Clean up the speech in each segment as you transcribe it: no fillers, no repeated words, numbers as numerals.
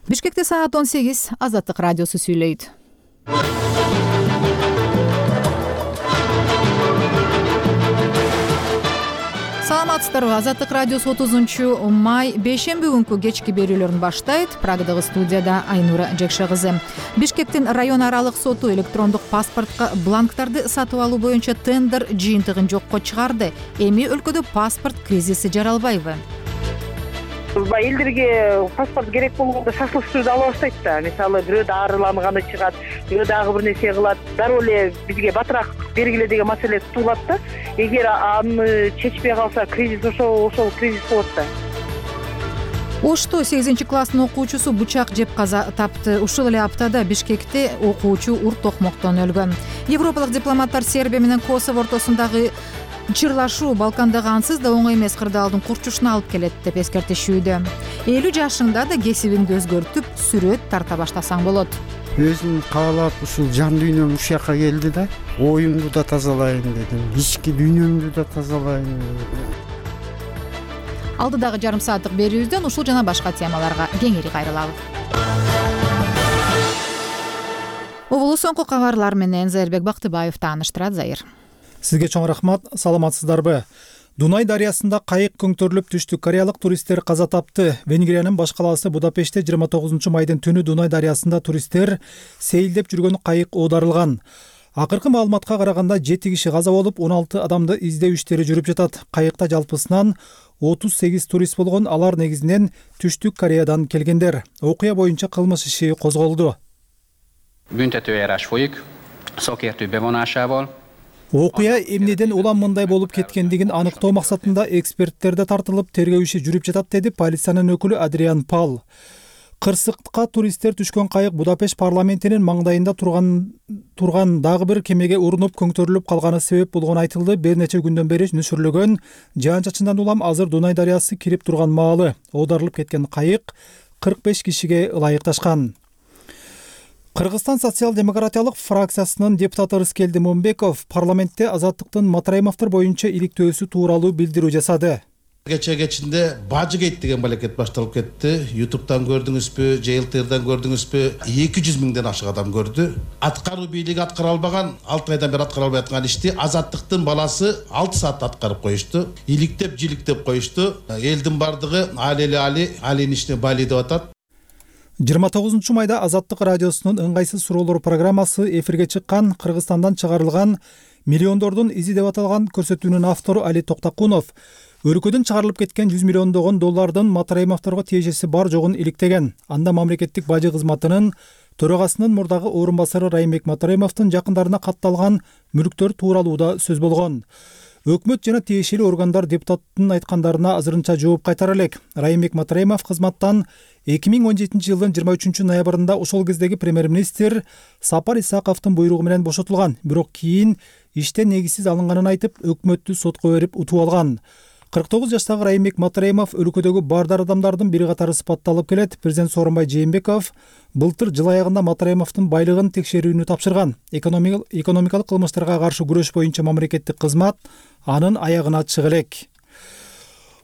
Бишкекте саат 18, Азаттык радиосу сүйлөйт. Саламатсыздарбы? Азаттык радиосу 30-май бейшемби күнкү кечки берүүлөрүн баштайт. Прагадагы студияда Айнура Жекше кызы. Бишкектин район аралык соту электрондук паспортко бланктарды сатып алуу боюнча тендер жыйынтыгын жокко чыгарды. Эми өлкөдө паспорт кризиси жаралбайбы? Элдерге паспорт керек болгондо шашылыш түрдө ала баштайт да. Мисалы бирөө дарыланганы чыгат, бирөө дагы бир нерсе кылат. Дароо эле бизге батыраак бергиле деген маселе туулат да. Эгер аны чечпей калса, кризис ошол кризис болот да. Ошто 8-класстын окуучусу бычак жеп каза тапты. Ушул эле аптада Бишкекте окуучу урт токмоктон өлгөн. Европалык дипломаттар Сербия менен Косово ортосундагы чырлашуу Балкандагы ансыз да оңой эмес кырдаалдын курчушуна алып келет деп эскертишүүдө. 50 жашыңда да кесибиңди өзгөртүп, сүрөт тарта баштасаң болот. Өзүм каалап ушул жан дүйнөм ушул жака келди да. Оюмду да тазалайын дедим, ички дүйнөмдү да тазалайын. Алдыдагы жарым сааттык берүүбүздөн ушул жана башка темаларга кеңири кайрылабыз. Угулу соңку кабарлар менен Зайырбек Бактыбаев тааныштырат. Зайыр. Сизге чоң рахмат. Саламатсыздарбы? Дунай дарыясында кайык көңтөрүлүп түштү. Кореялык туристтер каза тапты. Венгриянын баш калаасы Будапештте 29-майдын түнү Дунай дарыясында туристтер сейилдеп жүргөн кайык оодарылган. Акыркы маалыматка караганда 7 киши каза болуп, 16 адамды издөө иштери жүрүп жатат. Кайыкта жалпысынан 38 турист болгон. Алар негизинен Түштүк Кореядан келгендер. Окуя боюнча кылмыш иши козголду. Büntetőeljárás folyik, szakértő bevonásával. Окуя эмнеден улам мындай болуп кеткендигин аныктоо максатында эксперттер да тартылып, тергөө иши жүрүп жатат, деди полициянын өкүлү Адриан Пал. Кырсыкка туристтер түшкөн кайык Будапешт парламентинин маңдайында турган дагы бир кемеге урунуп көңтөрүлүп калганы себеп болгону айтылды. Бир нече күндөн бери нөшүрлөгөн жаан-чачындан улам азыр Дунай дарыясы кирип турган маалы. Оодарылып кеткен кайык 45 кишиге ылайыкташкан. Кыргызстан социал-демократиялык фракциясынын депутаты Рыскелди Момбеков парламентте Азаттыктын Матраимовдор боюнча иликтөөсү тууралуу билдирүү жасады. Кечинде Бажыгейт деген балекет башталып кетти. YouTube'дан көрдүңүзбү, JLTR'дан көрдүңүзбү? 200 миңден ашык адам көрдү. Аткаруу бийлиги аткара албаган, 6 айдан бери аткара албай аткан ишти Азаттыктын баласы 6 саатта аткарып коюшту. Иликтеп, жиликтеп коюшту. Элдин бардыгы Алинин ишине бали деп атат. 29-майда Азаттык радиосунун ыңгайсыз суроолор программасы эфирге чыккан. Кыргызстандан чыгарылган миллиондордун изи деп аталган көрсөтүүнүн автору Али Токтакунов өлкөдөн чыгарылып кеткен 100 миллиондогон доллардын Матраимовдорго тиешеси бар жогун иликтеген. Анда мамлекеттик бажы кызматынын төрагасынын мурдагы орун басары Раймек Матраимовдун жакындарына катталган мүлктөр тууралуу да сөз болгон. Өкмөт жана тиешелүү органдар депутаттын айткандарына азырынча жооп кайтара элек. Раймек Матраимов кызматтан 2017 жылдын 23 ноябрында ошол кездеги премьер-министр Сапар Исаковдун буйругу менен бошотулган. Бирок кийин иштен негизсиз алынганын айтып, өкмөттү сотко берип утуп алган. 49 жаштагы Раймек Матраимов өлкөдөгү баардар адамдардын бири катары сыпатталып келет. Президент Сооронбай Жээнбеков былтыр жыл аягында Матраимовдун байлыгын текшерүүнү тапшырган. Экономикалык кылмыштарга каршы күрөш боюнча мамлекеттик кызмат анын аягына чыга элек.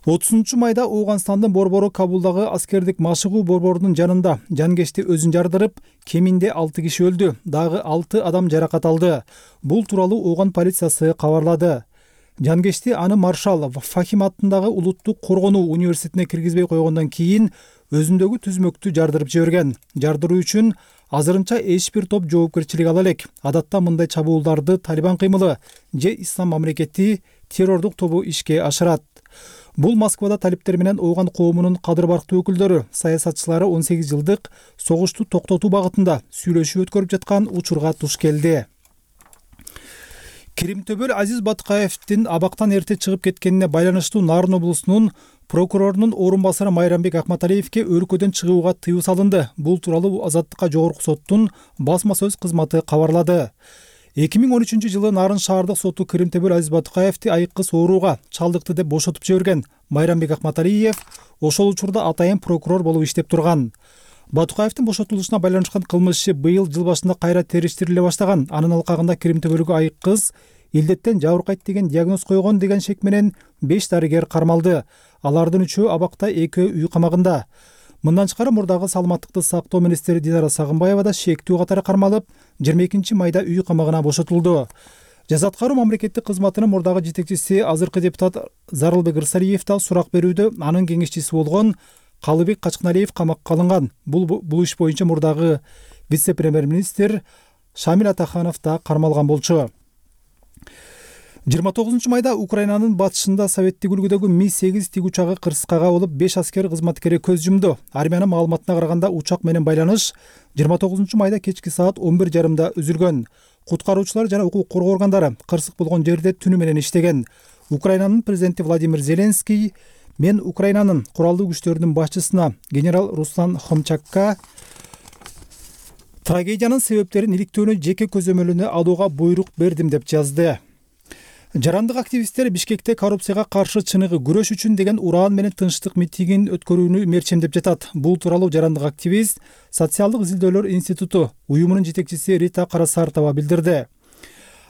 30-майда Ооганстандын борбору Кабулдагы аскердик машыгуу борборунун жанында жанкечти өзүн жардырып, кеминде 6 киши өлдү, дагы 6 адам жаракат алды. Бул тууралуу Ооган полициясы кабарлады. Жанкечти аны Маршал Фахим аттындагы улуттук коргонуу университетине киргизбей койгондон кийин өзүндөгү түзмөктү жардырып жиберген. Жардыруу үчүн азырынча эч бир топ жоопкерчилик ала элек. Адатта мындай чабуулдарды Талибан кыймылы же Ислам мамлекети террордук тобу ишке ашырат. Бул Москвада талиптер менен Ооган коомунун кадыр барктуу өкүлдөрү, саясатчылары 18 жылдык согушту токтотуу багытында сүйлөшүү өткөрүп жаткан учурга туш келди. Киримтөбөл Азиз Батыкаевдин абактан эрте чыгып кеткенине байланыштуу Нарын облусунун прокурорунун орун басары Майрамбек Акматалиевке өлкөдөн чыгууга тыюу салынды. Бул тууралуу Азаттыкка жогорку соттун басма сөз кызматы кабарлады. 2013 жылы Нарын шаардык соту Киримтөбөл Азиз Батыкаевди айыккыс ооруга чалдыкты деп бошотуп жиберген. Майрамбек Акматалиев ошол учурда атайын прокурор болуп иштеп турган. Батыкаевдин бошотулушуна байланышкан кылмыш иши быйыл жыл башында кайра териштириле баштаган. Анын алкагында Киримтөбөлгө айыккыс илдеттен жабыркайт деген диагноз койгон деген шек менен 5 дарыгер кармалды. Алардын 3-өө абакта, 2-өө үй камагында. Мындан тышкары мурдагы саламаттыкты сактоо министри Динара Сагынбаева да шектүү катары кармалып, 22 майда үй камагына бошотулду. Жаза аткаруу мамлекеттик кызматынын мурдагы жетекчиси азыркы депутат Зарылбек Ырсалиев да сурак берүүдө анын кеңешчиси болгон Калыбек Качкыналиев камакка алынган. Бул иш боюнча мурдагы вице-премьер-министр Шамил Атаханов да кармалган болчу. 29 майда Украинанын батышында советтик үлгүдөгү Ми-8 тиг учагы кырсыкка кабылып 5 аскер кызматкери көз жумду. Армиянын маалыматына караганда учак менен байланыш 29 майда кечки саат 11:30 үзүлгөн. Куткаруучулар жана укук коргоо органдары кырсык болгон жерде түнү менен иштеген. Украинанын президенти Владимир Зеленский мен Украинанын куралдуу күчтөрүнүн башчысына генерал Руслан Хомчакка трагедиянын себептерин иликтөөнү жеке көзөмөлүнө алууга буйрук бердим деп жазды. Жарандык активисттер Бишкекте коррупцияга каршы чыныгы күрөш үчүн деген ураан менен тынчтык митигин өткөрүүнү мерчемдеп жатат. Бул тууралуу жарандык активист Социалдык изилдөөлөр институту уюмунун жетекчиси Рита Карасартова билдирди.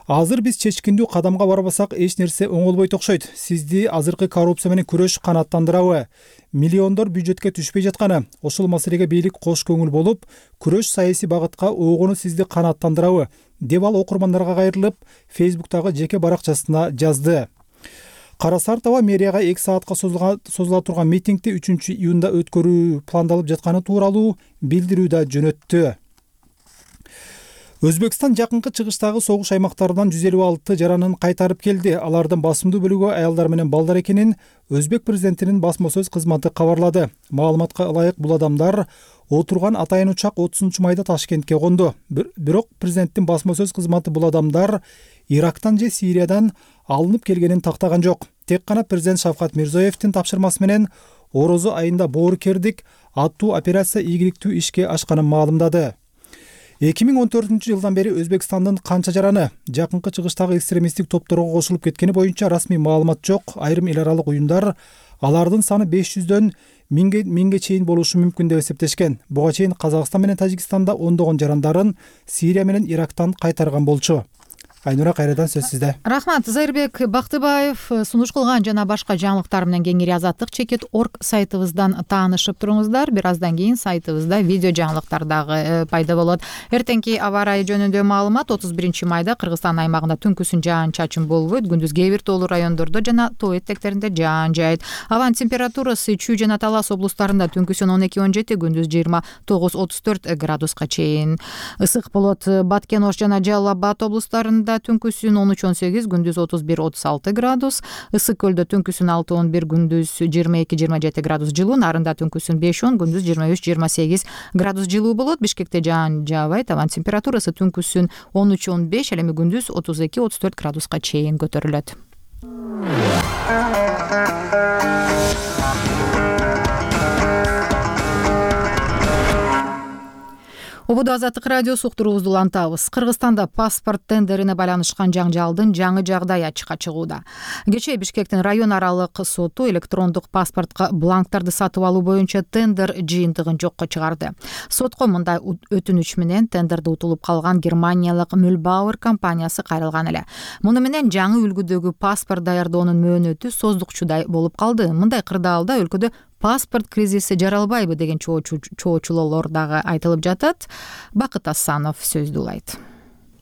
Азыр биз чечкиндүү кадамга барбасак эч нерсе оңолбойт окшойт. Сизди азыркы коррупция менен күрөш канааттандырабы? Миллиондор бюджетке түшпөй жатканы, ошол маселеге бийлик кош көңүл болуп, күрөш саясий багытка огону сизди канааттандырабы? Деп ал окурмандарга кайрылып, Фейсбуктагы жеке баракчасына жазды. Карасартова мэрияга 2 саатка созула турган митингди 3-июнда өткөрүү пландалып жатканы тууралуу билдирүү да жөнөттү. Өзбекстан жакынкы чыгыштагы согуш аймактарынан 156 жаранын кайтарып келди. Алардын басымдуу бөлүгү аялдар менен балдар экенин Өзбек президентинин басма сөз кызматы кабарлады. Маалыматка ылайык бул адамдар отурган атайын учак 30 майда Ташкентке конду. Бирок президенттин басма сөз кызматы бул адамдар Ирактан же Сириядан алынып келгенин тактаган жок. Тек гана президент Шавкат Мирзиёевдин тапшырмасы менен Орозо айында боорукердик аттуу операция ийгиликтүү ишке ашканын маалымдады. 2014-жылдан бери Өзбекстандын канча жараны жакынкы чыгыштагы экстремисттик топторго кошулуп кеткени боюнча расмий маалымат жок. Айрым эл аралык уюмдар алардын саны 500дөн 1000ге чейин болушу мүмкүн деп эсептешкен. Буга чейин Казакстан менен Тажикстанда ондогон жарандарын Сирия менен Ирактан кайтарган болчу. Айнура, кайрадан сөз сизде. Рахмат. Зайырбек Бактыбаев сунуш кылган жана башка жаңылыктар менен кеңири азаттык.org сайтыбыздан таанышып туруңуздар. Бир аздан кийин сайтыбызда видео жаңылыктар дагы пайда болот. Эртеңки аба ырайы жөнүндө маалымат: 31 майда Кыргызстан аймагында түнкүсүн жаан-чачын болбойт, күндүз кээ бир тоолуу райондордо жана тоо этектеринде жаан жаайт. Абанын температурасы Чүй жана Талас облустарында түнкүсүн 12-17, күндүз 20-34 градуска чейин ысык болот. Баткен, Ош жана Жалал Абад облустарында түнкүсүн 13-18, күндүз 31-36 градус. Ысык көлдө түнкүсүн 6-11, күндүз 22-27 градус жылуу. Нарында түнкүсүн 5-10, күндүз 23-28 градус жылуу болот. Бишкекте жаан жаабайт. Абанын температурасы түнкүсүн 13-15, ал эми күндүз 32-34 градуска чейин көтөрүлөт. Ободо Азаттык радиосу уктуруубузду улантабыз. Кыргызстанда паспорт тендерине байланышкан жаңжалдын жаңы жагдай ачыкка чыгууда. Кечээ Бишкектин район аралык соту электрондук паспортко бланктарды сатып алуу боюнча тендер жыйынтыгын жокко чыгарды. Сотко мындай өтүнүч менен тендерди утулуп калган германиялык Mühlbauer компаниясы кайрылган эле. Муну менен жаңы үлгүдөгү паспорт даярдоонун мөөнөтү создукчудай болуп калды. Мындай кырдаалда өлкөдө паспорт кризиси жаралбайбы деген чоочулоолор дагы айтылып жатат. Бакыт Асанов сөздү улайт.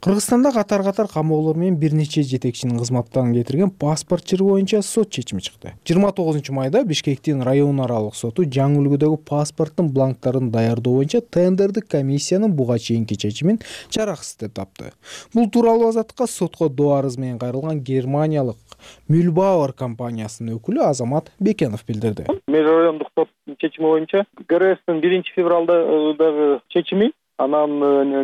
Кыргызстанда катар камоолор менен бир нече жетекчинин кызматтан кетирген паспорт чыры боюнча сот чечими чыкты. 29 майда Бишкектин район аралык соту жаңы үлгүдөгү паспорттун бланктарын даярдоо боюнча тендердик комиссиянын буга чейинки чечимин жараксыз деп тапты. Бул тууралуу Азаттыкка сотко доо арыз менен кайрылган германиялык Mühlbauer компаниясынын өкүлү Азамат Бекенов билдирди. Межрайондук соттун чечими боюнча ГРСтин 1 февралдагы чечими, анан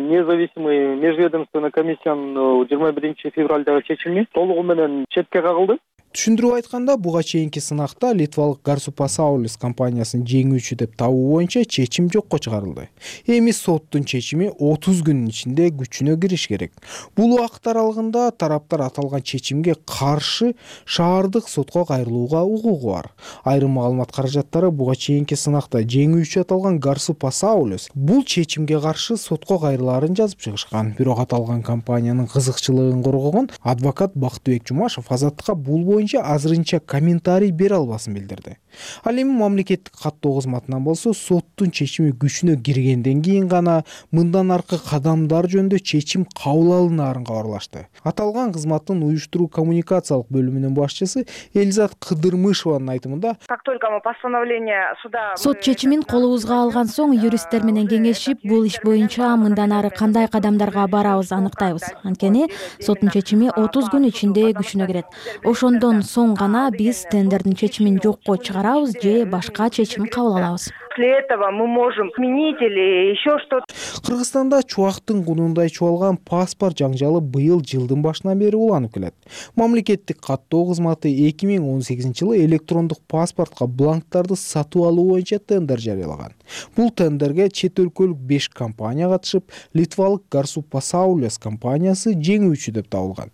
независимый межведомственный комиссиянын 21 февралдагы чечими толугу менен четке кагылды. Түшүндүрүп айтканда, буга чейинки сынакта литвалык Garsu-Pasaulis компаниясын жеңүүчү деп табуу боюнча чечим жокко чыгарылды. Эми соттун чечими 30 күнүн ичинде күчүнө кириш керек. Бул убакыт аралыгында тараптар аталган чечимге каршы шаардык сотко кайрылууга укугу бар. Айрым маалымат каражаттары буга чейинки сынакта жеңүүчү аталган Garsu-Pasaulis бул чечимге каршы сотко кайрылаарын жазып чыгышкан. Бирок аталган компаниянын кызыкчылыгын коргогон адвокат Бактыбек Жумашев Азаттыкка бул боюнча азырынча комментарий бере албасын билдирди. Ал эми мамлекеттик каттоо кызматынан болсо соттун чечими күчүнө киргенден кийин гана мындан аркы кадамдар жөнүндө чечим кабыл алынаарын кабарлашты. Аталган кызматтын уюштуруу коммуникациялык бөлүмүнүн башчысы Элизат Кыдырмышеванын айтымында, как только мы постановление суда сот чечимин колубузга алган соң юристтер менен кеңешип, бул иш боюнча мындан ары кандай кадамдарга барабыз аныктайбыз. Анткени соттун чечими 30 күн ичинде күчүнө кирет. Ошондон соң гана биз тендердин чечимин жокко чыгарабыз же башка чечим кабыл алабыз. После этого мы можем сменить или еще что-то. Кыргызстанда чубактын кунундай чубалган паспорт жаңжалы быйыл жылдын башынан бери уланып келет. Мамлекеттик каттоо кызматы 2018-жылы электрондук паспортко бланктарды сатып алуу боюнча тендер жарыялаган. Бул тендерге чет өлкөлүк 5 компания катышып, литвалык Garsu-Pasaules компаниясы жеңүүчү деп табылган.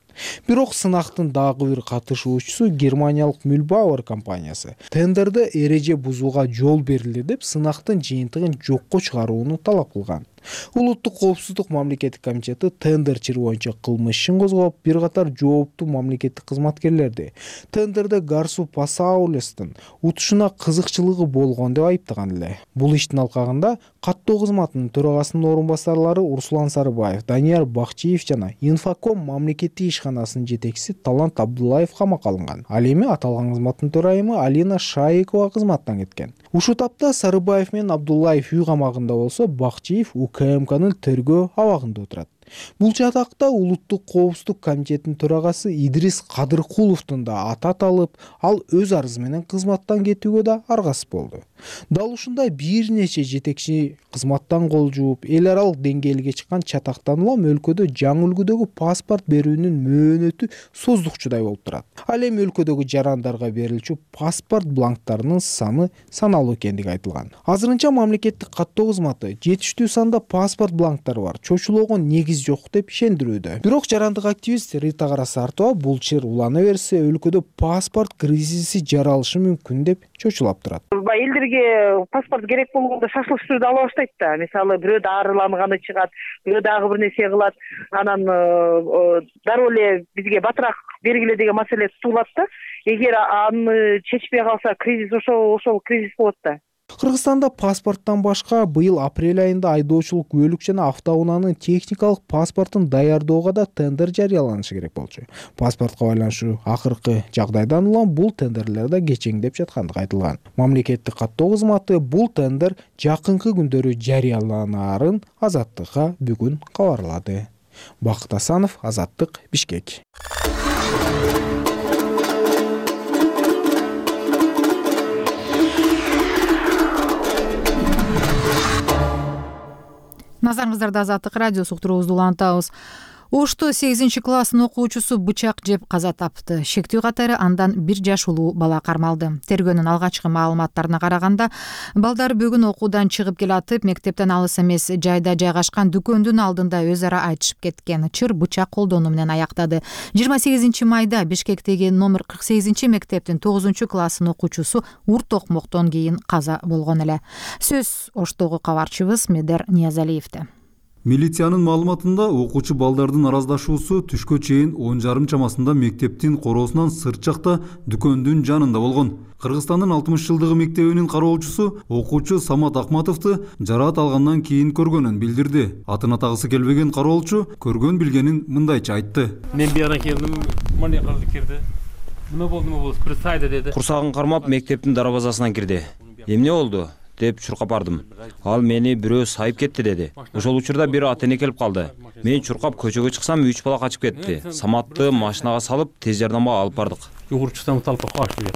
Бирок сынактын дагы бир катышуучусу Германиялык Mühlbauer компаниясы тендерде эреже бузууга жол берилди деп сынактын жыйынтыгын жокко чыгарууну талап кылган. Улуттук коопсуздук мамлекеттик комитети тендерчилер боюнча кылмыш ишин козгоп, бир катар жооптуу мамлекеттик кызматкерлерди тендерде Garsu-Pasaules'тин утушуна кызыкчылыгы болгон деп айыптаган эле. Бул иштин алкагында каттоо кызматынын төрагасынын орун басарлары Урсулан Сарыбаев, Данияр Бакчиев жана Infocom мамлекеттик ишканасынын жетекчиси Талант Абдуллаев камакка алынган. Ал эми аталган кызматтын төрайымы Алина Шаикова кызматтан кеткен. Ушул тапта Сарыбаев менен Абдуллаев үй камагында болсо, Бакчиев УКМКнын тергөө абагында отурат. Бул жатакта Улуттук коопсуздук комитетинин төрагасы Идрис Кадыркуловдун да аты аталып, ал өз арызы менен кызматтан кетүүгө да аргасыз болду. Дал ушундай бир нече жетекчи кызматтан кол жууп, эл аралык деңгээлге чыккан чатактан улам өлкөдө жаңы үлгүдөгү паспорт берүүнүн мөөнөтү создукчудай болуп турат. Ал эми өлкөдөгү жарандарга берилчү паспорт бланктарынын саны саналуу экендиги айтылган. Азырынча мамлекеттик каттоо кызматы жетиштүү санда паспорт бланктары бар, чочулоого негиз жок деп ишендирүүдө. Бирок жарандык активист Рита Карасартова бул чыр улана берсе, өлкөдө паспорт кризиси жаралышы мүмкүн деп чочулап турат. Элдерге паспорт керек болгондо шашлык түрдө ала баштайт да. Мисалы бирөө дарыланганы чыгат, бирөө дагы бир нерсе кылат, анан дароо эле бизге батыраак бергиле деген маселе туулат да. Эгер аны чечпей калса, кризис ошол кризис болот да. Кыргызстанда паспорттон башка быйыл апрель айында айдоочулук көлүк жана автоунаанын техникалык паспортун даярдоого да тендер жарыяланышы керек болчу. Паспортко байланыштуу акыркы жагдайдан улам бул тендерлер да кечеңдеп жаткандыгы айтылган. Мамлекеттик каттоо кызматы бул тендер жакынкы күндөрү жарыяланаарын Азаттыкка бүгүн кабарлады. Бакыт Асанов, Азаттык, Бишкек. Назарыңыздарда Азаттык радиосу уктуруубузду улантабыз. Ошто 8-класстын окуучусу бычак жеп каза тапты. Шектүү катары андан 1 жаш улуу бала кармалды. Тергөөнүн алгачкы маалыматтарына караганда, балдар бүгүн окуудан чыгып келатып, мектептен алыс эмес жайда жайгашкан дүкөндүн алдында өз ара айтышып кеткен. Чыр бычак колдонуу менен аяктады. 28 майда Бишкектеги номер 48 мектептин 9-класстын окуучусу урт токмоктон кийин каза болгон эле. Сөз Оштогу кабарчыбыз Медер Ниязалиевде. Милициянын маалыматында окуучу балдардын араздашуусу түшкө чейин 10:30 чамасында мектептин короосунан сырт жакта дүкөндүн жанында болгон. Кыргызстандын 60 жылдыгы мектебинин кароочусу окуучу Самат Акматовду жараат алгандан кийин көргөнүн билдирди. Атын атагысы келбеген кароолчу көргөн билгенин мындайча айтты. Мен бияна келдим, мына калды кирди. Нема болду, бир сайда деди. Курсагын кармап мектептин дарбазасынан кирди. Эмне болду деп чуркап бардым. Ал мени бирөө сайып кетти деди. Ошол учурда бир ата-эне келип калды. Мен чуркап көчөгө чыксам 3 бала качып кетти. Саматты машинага салып тез жардамга алып бардык. Югуруп чыксам талпак качты.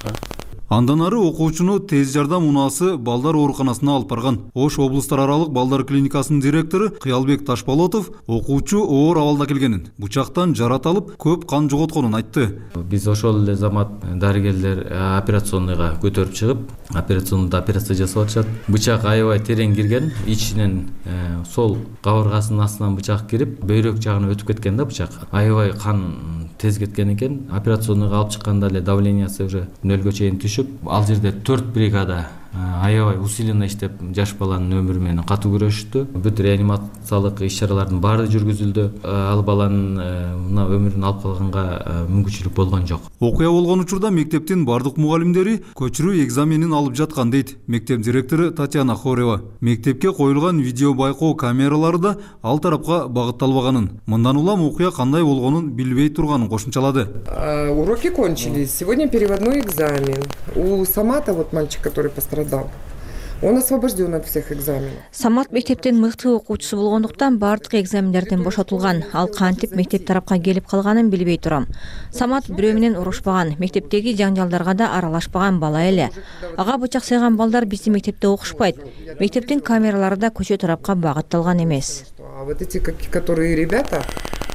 Андан ары окуучуну тез жардам унаасы балдар ооруканасына алып барган. Ош облустар аралык балдар клиникасынын директору Кыялбек Ташболотов окуучу оор абалда келгенин, бычактан жарат алып, көп кан жоготконун айтты. Биз ошол эле замат дарыгерлер операционныйга көтөрүп чыгып, операционда операция жасап атышат. Бычак аябай терең кирген, ичинен сол кабыргасынын астынан бычак кирип, бөйрөк жагына өтүп кеткен да бычак. Аябай кан тез кеткен экен. Операционныйга алып чыкканда эле давлениясы уже нөлгө чейин түшүп, ал жерде 4 бригада аябай усиленно иштеп жаш баланын өмүрү менен катуу күрөштү. Бүт реанимациялык иш-чаралардын баары жүргүзүлдү. Ал баланын мына өмүрүн алып калганга мүмкүнчүлүк болгон жок. Окуя болгон учурда мектептин бардык мугалимдери көчүрүү экзаменин алып жаткан дейт мектеп директору Татьяна Хорева. Мектепке коюлган видео байкоо камералары да ал тарапка багытталбаганын, мындан улам окуя кандай болгонун билбей турганын кошумчалады. Уроки кончились. Сегодня переводной экзамен. У Самата, вот мальчик, который пострадал, он освобожден от всех экзаменов. Самат мектептин мыкты окуучусу болгондуктан бардык экзамендерден бошотулган. Ал кантип мектеп тарапка келип калганын билбей турам. Самат бирөө менен урушпаган, мектептеги жаңжалдарга да аралашпаган бала эле. Ага бычак сайган балдар биздин мектепте окушпайт. Мектептин камералары да көчө тарапка багытталган эмес. А вот эти, которые ребята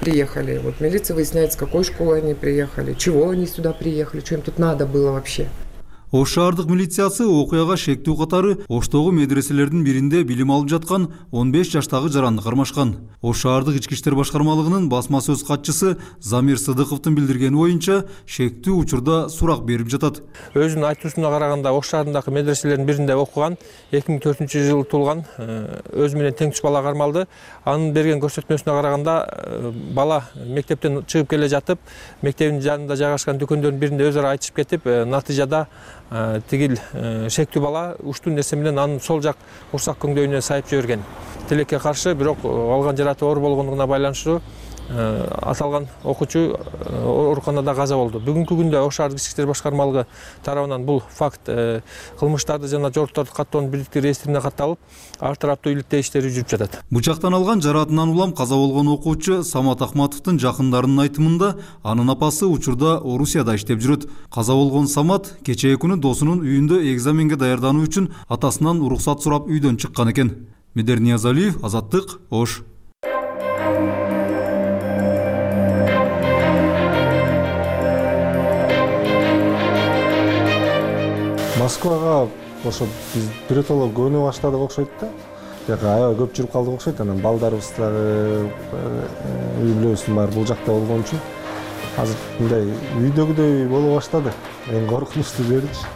приехали, вот милиция выясняет, с какой школы они приехали, чего они сюда приехали, что им тут надо было вообще. Ош шаардык милициясы окуяга шектүү катары Оштогу медреселердин биринде билим алып жаткан 15 жаштагы жаранды кармашкан. Ош шаардык ички иштер башкармалыгынын басма сөз катчысы Замир Сыдыковдун билдиргени боюнча шектүү учурда сурак берип жатат. Өзүнүн айтуусуна караганда Ош шаарындагы медреселердин биринде окуган, 2004-жылы туулган өзү менен тең түш бала кармалды. Анын берген көрсөтмөсүнө караганда бала мектептен чыгып келе жатып, мектебин жанында жайгашкан дүкөндөрдүн биринде өзара айтышып кетип, натыйжада тигил шектүү бала уштуу нерсе менен анын сол жак урсак көңдөйүнө сайып жиберген. Тилекке каршы, бирок алган жараты оор болгондугуна байланыштуу аталган окуучу ооруканада каза болду. Бүгүнкү күндө Ош шаардык ички иштер башкармалыгы тарабынан бул факт кылмыштарды жана жоруктарды каттоонун бирдиктүү реестрине катталып, ар тараптуу иликтөө иштери жүрүп жатат. Бычактан алган жаратынан улам каза болгон окуучу Самат Ахматовдун жакындарынын айтымында анын апасы учурда Орусияда иштеп жүрөт. Каза болгон Самат кечээ күнү досунун үйүндө экзаменге даярдануу үчүн атасынан уруксат сурап үйдөн чыккан экен. Медер Ниязалиев, Азаттык, Ош. Москвага ошо биз биротоло көнө баштадык окшойт да. Жака аябай көп жүрүп калдык окшойт. Анан балдарыбыз дагы үй бүлөбүздүн баары бул жакта болгон үчүн азыр мындай үйдөгүдөй боло баштады. Эң коркунучтуу жеричи.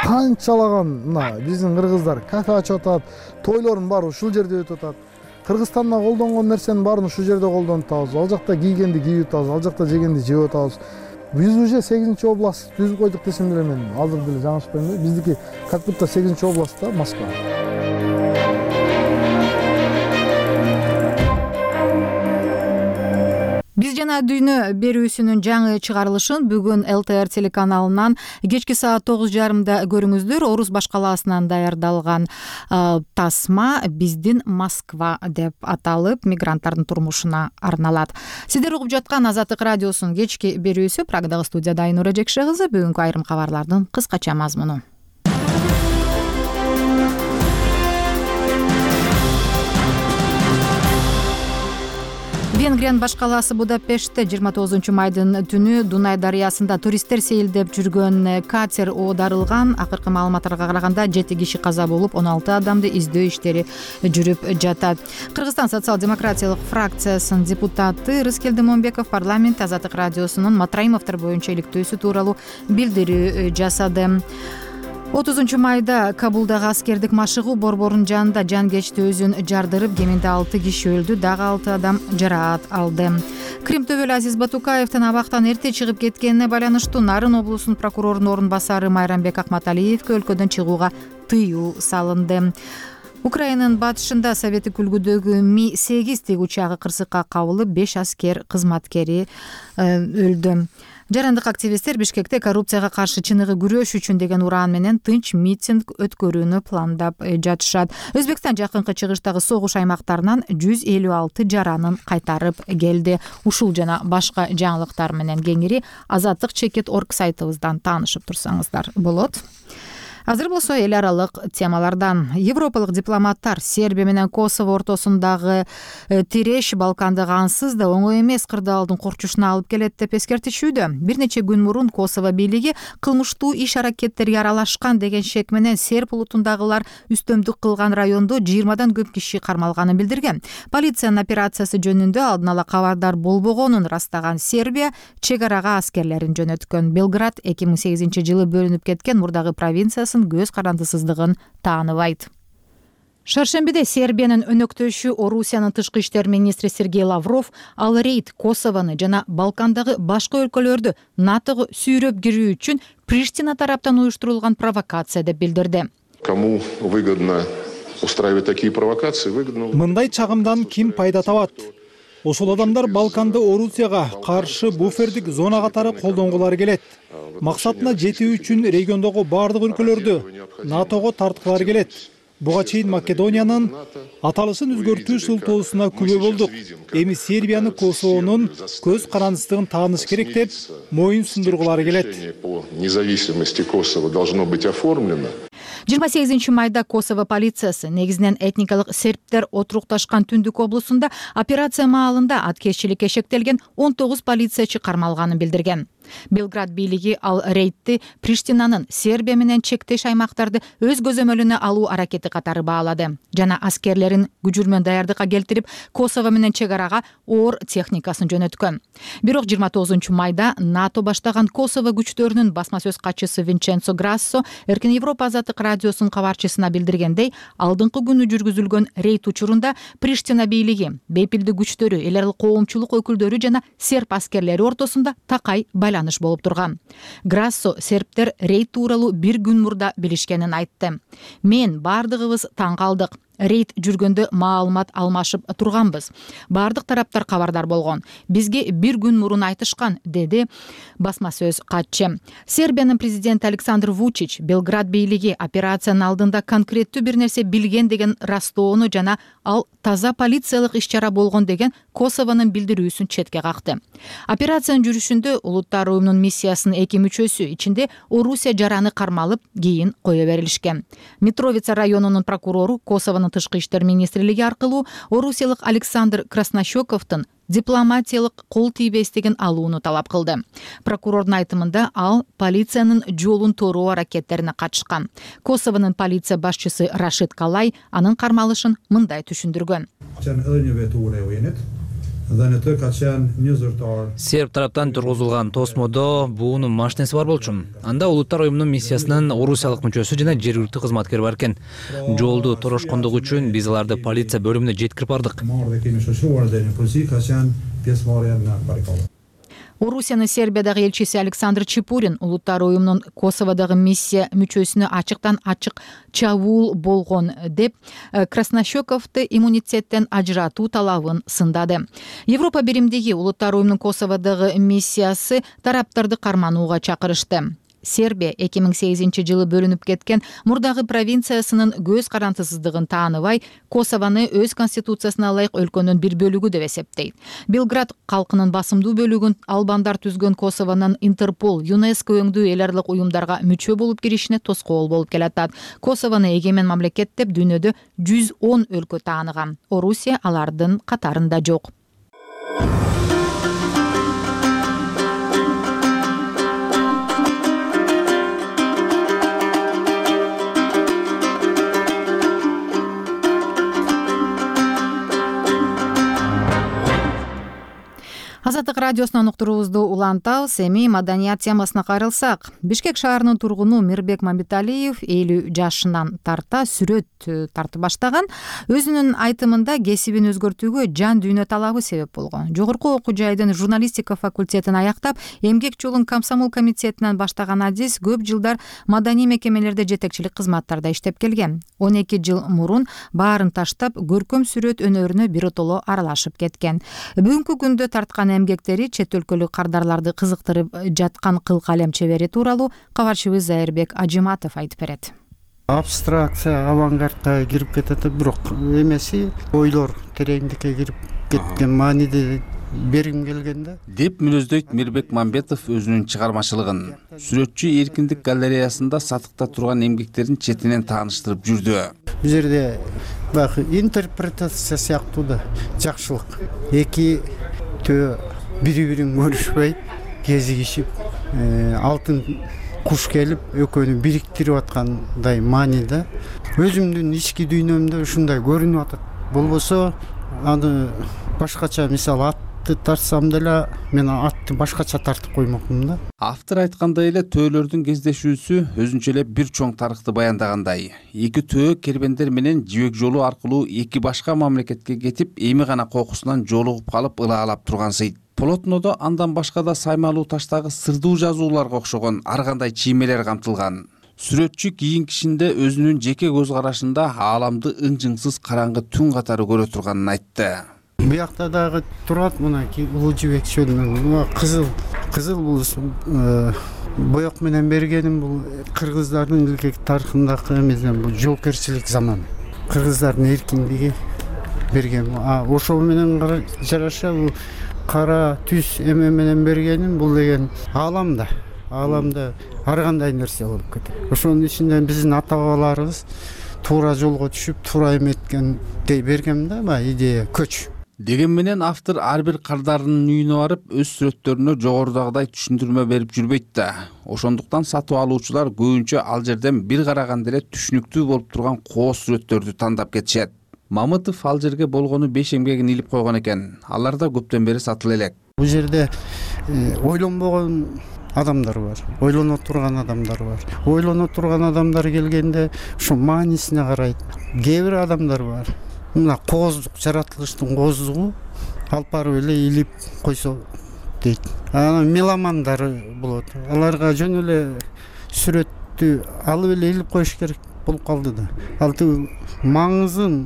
Канчалаган мына биздин кыргыздар кафе ачып атат, тойлордун баары ушул жерде өтүп атат. Кыргызстанда колдонгон нерсенин баарын ушул жерде колдонуп атабыз. Ал жакта кийгенди кийип атабыз, ал жакта жегенди жеп атабыз. Биз уже 8-чи област түзүп койдук десем деле мен азыр деле жаңылышпайм. Биздики как будто 8-чи област да, Москва. Биз жана дүйнө берүүсүнүн жаңы чыгарылышын бүгүн ЛТР телеканалынан кечки саат 9:30 көрүңүздөр. Орус башкаласынан даярдалган тасма биздин Москва деп аталып, мигранттардын турмушуна арналат. Сиздер угуп жаткан Азаттык радиосунун кечки берүүсү. Прагдагы студияда Айнура Жекше кызы. Бүгүнкү айрым кабарлардын кыскача мазмуну. Венгриянын баш калаасы Будапештте 29-майдын түнү Дунай дарыясында туристтер сейилдеп жүргөн катер оодарылган. Акыркы маалыматтарга караганда 7 киши каза болуп, 16 адамды издөө иштери жүрүп жатат. Кыргызстан социал-демократиялык фракциясынын депутаты Рыскелди Момбеков парламент Азаттык радиосунун Матраимовдор боюнча иликтөөсү тууралуу билдирүү жасады. 30-майда Кабулдагы аскердик машыгуу борборунун жанында жангечти өзүн жардырып, кеминде 6 киши өлдү, дагы 6 адам жараат алды. Крим төбөлү Азиз Батукаевдин абактан эрте чыгып кеткенине байланыштуу Нарын облусунун прокурорунун орун басары Майрамбек Акматалиевге өлкөдөн чыгууга тыюу салынды. Украинанын батышында Советтик үлгүдөгү Ми-8 тигучагы кырсыкка кабылып, 5 аскер кызматкери өлдү. Жарандык активисттер Бишкекте коррупцияга каршы чыныгы күрөш үчүн деген ураан менен тынч митинг өткөрүүнү пландап жатышат. Өзбекстан жакынкы чыгыштагы согуш аймактарынан 156 жаранын кайтарып келди. Ушул жана башка жаңылыктар менен кеңири Азаттык.org сайтыбыздан таанышып турсаңыздар болот. Азыр болсо эл аралык темалардан. Европалык дипломаттар Сербия менен Косово ортосундагы тиреш Балкандык ансыз да оңой эмес кырдаалдын корчушуна алып келет деп эскертишүүдө. Бир нече күн мурун Косово бийлиги кылмыштуу иш-аракеттерге аралашкан деген шек менен серб улутундагылар үстөмдүк кылган райондо 20-дан көп киши кармалганын билдирген. Полициянын операциясы жөнүндө алдын ала кабардар болбогонун ырастаган Сербия чек арага аскерлерин жөнөткөн. Белград 2008-жылы бөлүнүп кеткен мурдагы провинциясы провокациясын, көз карандысыздыгын тааныбайт. Шаршембиде Сербиянын өнөктөшү Орусиянын тышкы иштер министри Сергей Лавров ал рейд Косовону жана Балкандагы башка өлкөлөрдү НАТОго сүйрөп кирүү үчүн Приштина тараптан уюштурулган провокация деп билдирди. Кому выгодно устраивать такие провокации? Выгодно. Мындай чагымдан ким пайда табат? Ошол адамдар Балканды Орусияга каршы буфердик зона катары колдонгулары келет. Максатына жетүү үчүн региондогу бардык өлкөлөрдү НАТОго тарткылары келет. Буга чейин Македониянын аталышын өзгөртүү шылтоосуна күбө болдук. Эми Сербияны Косовонун көз карандысыздыгын тааныш керек деп моюн сундургулары келет. По независимости Косово должно быть оформлено. 28 майда Косово полициясы негизинен этникалык сербтер отурукташкан Түндүк облусунда операция маалында аткезчиликке шектелген 19 полициячы кармалганын билдирген. Белград бийлиги ал рейдти Приштинанын Сербия менен чектеш аймактарды өз көзөмөлүнө алуу аракети катары баалады жана аскерлерин күжүрмөн даярдыкка келтирип, Косово менен чек арага оор техникасын жөнөткөн. Бирок 29 майда НАТО баштаган Косово күчтөрүнүн басма сөз катчысы Винченцо Грассо Эркин Европа азаттык радиосунун кабарчысына билдиргендей, алдыңкы күнү жүргүзүлгөн рейд учурунда Приштина бийлиги, бейпилдик күчтөрү, эл аралык коомчулук өкүлдөрү жана серб аскерлери ортосунда такай байланыш болуп турган. Грассо сербтер рейд тууралуу бир күн мурда билишкенин айтты. Мен бардыгыбыз таң калдык. Рейд жүргөндө маалымат алмашып турганбыз. Бардык тараптар кабардар болгон. Бизге бир күн мурун айтышкан, деди басма сөз катчы. Сербиянын президенти Александр Вучич Белград бийлиги операциянын алдында конкреттүү бир нерсе билген деген растоону жана ал таза полициялык иш-чара болгон деген Косовонун билдирүүсүн четке какты. Операциянын жүрүшүндө Улуттар уюмунун миссиясынын 2 мүчөсү, ичинде Орусия жараны кармалып, кийин кое берилишкен. Митровица районунун прокурору Косовонун тышкы иштер министрлиги аркылуу орусиялык Александр Краснощековдун дипломатиялык кол тийбестигин алууну талап кылды. Прокурордун айтымында ал полициянын жолун тороо аракеттерине катышкан. Косовонун полиция башчысы Рашид Калай анын кармалышын мындай түшүндүргөн. Серб тараптан тургузулган тосмодо буунун машинеси бар болчу. Анда Улуттар уюмунун миссиясынын орусиялык мүчөсү жана жергиликтүү кызматкер бар экен. Жолду торошкондугу үчүн биз аларды полиция бөлүмүнө жеткирип бардык. Орусиянын Сербиядагы элчиси Александр Чепурин Улуттар уюмунун Косоводогу миссия мүчөсүнө ачыктан ачык чабуул болгон деп Краснощековду иммунитеттен ажыратуу талабын сындады. Европа биримдиги Улуттар уюмунун Косоводогу миссиясы тараптарды карманууга чакырышты. Сербия 2008-жылы бөлүнүп кеткен мурдагы провинциясынын көз карандысыздыгын тааныбай, Косовону өз конституциясына ылайык өлкөнүн бир бөлүгү деп эсептейт. Белград калкынын басымдуу бөлүгүн албандар түзгөн Косовонун Интерпол, ЮНЕСКО өңдүү эл аралык уюмдарга мүчө болуп киришине тоскоол болуп келатат. Косовону эгемен мамлекет деп дүйнөдө 110 өлкө тааныган. Орусия алардын катарында жок. Азаттык радиосунан уктуруубузду улантабыз. Эми маданият темасына кайрылсак, Бишкек шаарынын тургуну Мирбек Мамбеталиев 50 жашынан тарта сүрөт тартып баштаган. Өзүнүн айтымында кесибин өзгөртүүгө жан дүйнө талабы себеп болгон. Жогорку окуу жайдын журналистика факультетин аяктап, эмгек жолун комсомол комитетинен баштаган Азиз көп жылдар маданий мекемелерде жетекчилик кызматтарда иштеп келген. 12 жыл мурун баарын таштап, көркөм сүрөт өнөрүнө биротоло аралашып кеткен. Бүгүнкү күндө тарткан эмгектери чет өлкөлүк кардарларды кызыктырып жаткан кыл калем чебери тууралуу кабарчыбыз Зайырбек Ажиматов айтып берет. Абстракция, авангардка кирип кетет, бирок эмеси ойлор тереңдикке кирип кеткен мааниде бергим келген да. Деп мүнөздөйт Мирбек Мамбетов өзүнүн чыгармачылыгын. Сүрөтчү Эркиндик галереясында сатыкта турган эмгектерин четинен тааныштырып жүрдү. Бул жерде бак интерпретация сыяктуу да жакшылык. Эки төө бири-бирин көрүшпөй, кезигишип, алтын куш келип, экөөнү бириктирип аткандай мааниде. Өзүмдүн ички дүйнөмдө ушундай көрүнүп атат. Болбосо аны башкача мисалы атты тартсам деле мен атты башкача тартып коймокмун да. Автор айткандай эле төөлөрдүн кездешүүсү өзүнчө эле бир чоң тарыхты баяндагандай. Эки төө кербендер менен жибек жолу аркылуу эки башка мамлекетке кетип, эми гана кокусунан жолугуп калып ылаалап тургансыйт. Полотнодо андан башка да саймалуу таштагы сырдуу жазууларга окшогон ар кандай чиймелер камтылган. Сүрөтчү кийинкисинде өзүнүн жеке көз карашында ааламды ың-жыңсыз караңгы түн катары көрө турганын айтты. Буякта дагы турат мынакей улуу жибек чөлүнөн кызыл бул боек менен бергеним бул кыргыздардын илгерки тарыхындагы эмесен бул жоокерчилик заман. Кыргыздардын эркиндиги берген. Ошол менен жараша бул кара түз эме менен бергеним бул деген ааламда ар кандай нерсе болуп кетет. Ошонун ичинде биздин ата бабаларыбыз туура жолго түшүп, туура эметкен дей берген да, баягы идея көч. Деген менен автор ар бир кардарынын үйүнө барып, өз сүрөттөрүнө жогорудагыдай түшүндүрмө берип жүрбөйт да. Ошондуктан сатып алуучулар көбүнчө ал жерден бир караганда эле түшүнүктүү болуп турган кооз сүрөттөрдү тандап кетишет. Мамытов ал жерге болгону 5 эмгегин илип койгон экен. Алар да көптөн бери сатыла элек. Бул жерде ойлонбогон адамдар бар, ойлоно турган адамдар бар. Ойлоно турган адамдар келгенде ошо маанисине карайт. Кээ бир адамдар бар. Мына кооздук, жаратылыштын кооздугу алып барып эле илип койсо дейт. Анан меломандар болот. Аларга жөн эле сүрөттү алып эле илип коюш керек болуп калды да. Ал маңызын,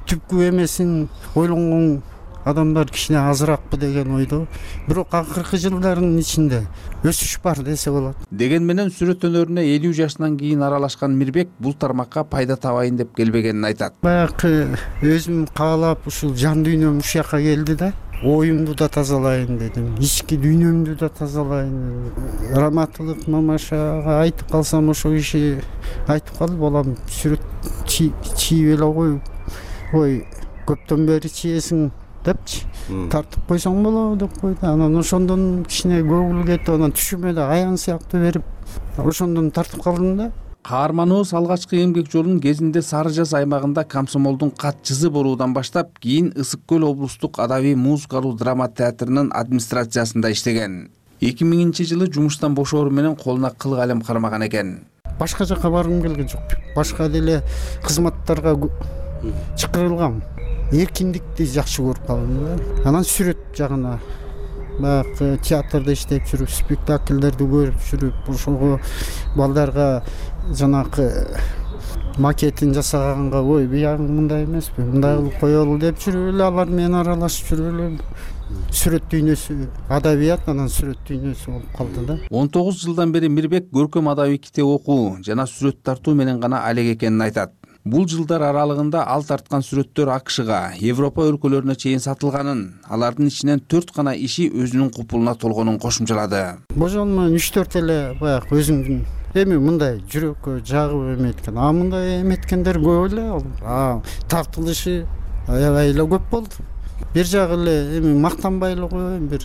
түпкү эмесин ойлонгон адамдар кичине азыракпы деген ойдо. Бирок акыркы жылдардын ичинде өсүш бар десе болот. Деген менен сүрөт өнөрүнө 50 жашынан кийин аралашкан Мирбек бул тармакка пайда табайын деп келбегенин айтат. Баягы өзүм каалап ушул жан дүйнөм ушул жака келди да. Оюмду да тазалайын дедим, ички дүйнөмдү да тазалайын. Раматылык мамашага айтып калсам ошо киши айтып калды, балам сүрөт чийип эле кой. Ой, көптөн бери чиесиң депчи, тартып койсоң болобу деп койду. Анан ошондон кичине көңүл кетип, анан түшүмө да аян сыяктуу берип, ошондон тартып калдым да. Каарманыбыз алгачкы эмгек жолун кезинде Сары Жаз аймагында Комсомолдун катчысы болуудан баштап, кийин Ысык Көл облустук адабий музыкалуу драма театрынын администрациясында иштеген. 2000-жылы жумуштан бошоору менен колуна кыл калем кармаган экен. Башка жака баргым келген жок. Башка деле кызматтарга чакырылгам. Эркиндикти жакшы көрүп калдым да. Анан сүрөт жагына баягы театрда иштеп жүрүп, спектакльдерди көрүп жүрүп, ошого балдарга жанакы макетин жасаганга, ой, буягы мындай эмеспи, мындай кылып коелу деп жүрүп эле алар менен аралашып жүрүп эле сүрөт дүйнөсү, адабият анан сүрөт дүйнөсү болуп калды да. 19 жылдан бери Мирбек көркөм адабий китеп окуу жана сүрөт тартуу менен гана алек экенин айтат. Бул жылдар аралыгында ал тарткан сүрөттөр АКШга, Европа өлкөлөрүнө чейин сатылганын, алардын ичинен 4 гана иши өзүнүн купулуна толгонун кошумчалады. Божол менен 3-4 эле баягы өзүмдүн эми мындай жүрөккө жагып эметкен. Мындай эметкендер көп эле. Тартылышы аябай эле көп болду. Бир жагы эле эми мактанбай эле коеюн, бир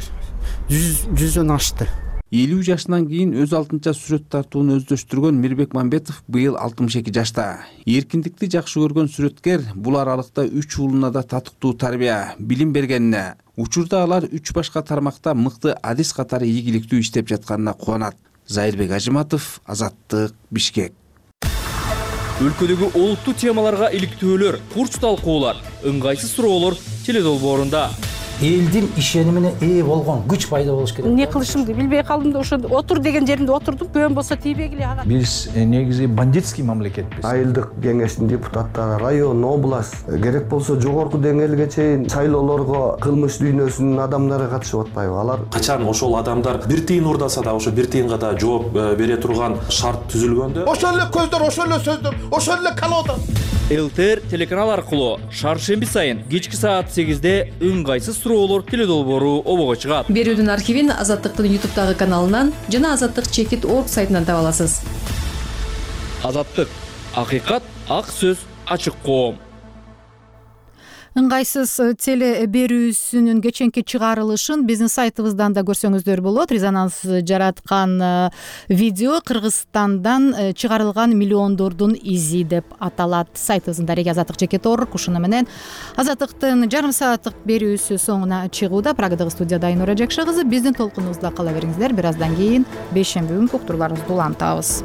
100дөн ашты. 50 жашынан кийин өз алтынча сүрөт тартууну өздөштүргөн Мирбек Мамбетов быйыл 62 жашта. Эркиндикти жакшы көргөн сүрөткер бул аралыкта 3 уулуна да татыктуу тарбия, билим бергенине, учурда алар 3 башка тармакта мыкты адис катары ийгиликтүү иштеп жатканына кубанат. Зайырбек Ажыматов, Азаттык, Бишкек. Өлкөдөгү олуттуу темаларга иликтөөлөр, курч талкуулар, ыңгайсыз суроолор теледолбоорунда. Элдин ишенимине ээ болгон күч пайда болуш керек. Не кылышымды билбей калдым да, ошо отур деген жеримде отурдум, көбөн болсо тийбегиле ага. Биз негизи бандитский мамлекетпиз. Айылдык кеңештин депутаттары, район, область, керек болсо жогорку деңгээлге чейин шайлоолорго кылмыш дүйнөсүнүн адамдары катышып атпайбы? Алар качан ошол адамдар бир тыйын урдаса да ошо бир тыйынга да жооп бере турган шарт түзүлгөндө, ошол эле көздөр, ошол эле сөздөр, ошол эле колода. ЛТР телеканал аркылуу шаршемби сайын кечки саат 8-де ыңгайсыз суроолор теледолбоору обого чыгат. Берүүдүн архивин Азаттыктын YouTube каналынан жана azattik.org сайтынан таба аласыз. Азаттык, акыйкат, ак сөз, ачык коом. ыңгайсыз теле берүүсүнүн кеченки чыгарылышын биздин сайтыбыздан да көрсөңүздөр болот. Резонанс жараткан видео Кыргызстандан чыгарылган миллиондордун изи деп аталат. Сайтыбыздын дареги Азаттык жеке орг. Ушуну менен Азаттыктын жарым сааттык берүүсү соңуна чыгууда. Прагадагы студияда Айнура Жакшы кызы. Биздин толкунубузда кала бериңиздер. Бир аздан кийин бейшемби күнкү уктурууларыбызды улантабыз.